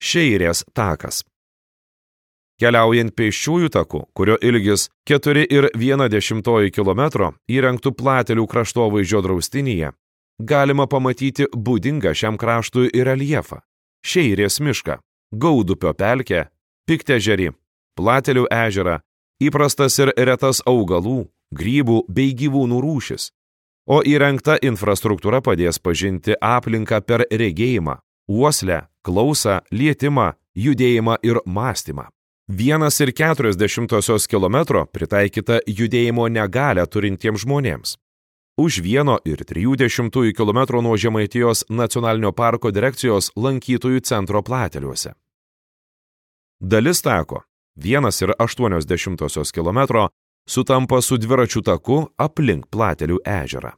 Šeirės takas. Keliaujant pėsčiųjų taku, kurio ilgis 4,1 km įrengtų Platelių kraštovaizdžio draustinyje, galima pamatyti būdingą šiam kraštui reljefą. Šeirės mišką, Gaudupio pelkę, Piktežerį, Platelių ežerą, įprastas ir retas augalų, grybų bei gyvūnų rūšis. O įrengta infrastruktūra padės pažinti aplinką per regėjimą, uoslę, klausą, lietimą, judėjimą ir mąstymą. 1,4 km pritaikyta judėjimo negalią turintiems žmonėms. Už 1,3 km nuo Žemaitijos nacionalinio parko direkcijos lankytojų centro Plateliuose. Dalis tako 1,8 km sutampa su dviračių taku aplink Platelių ežerą.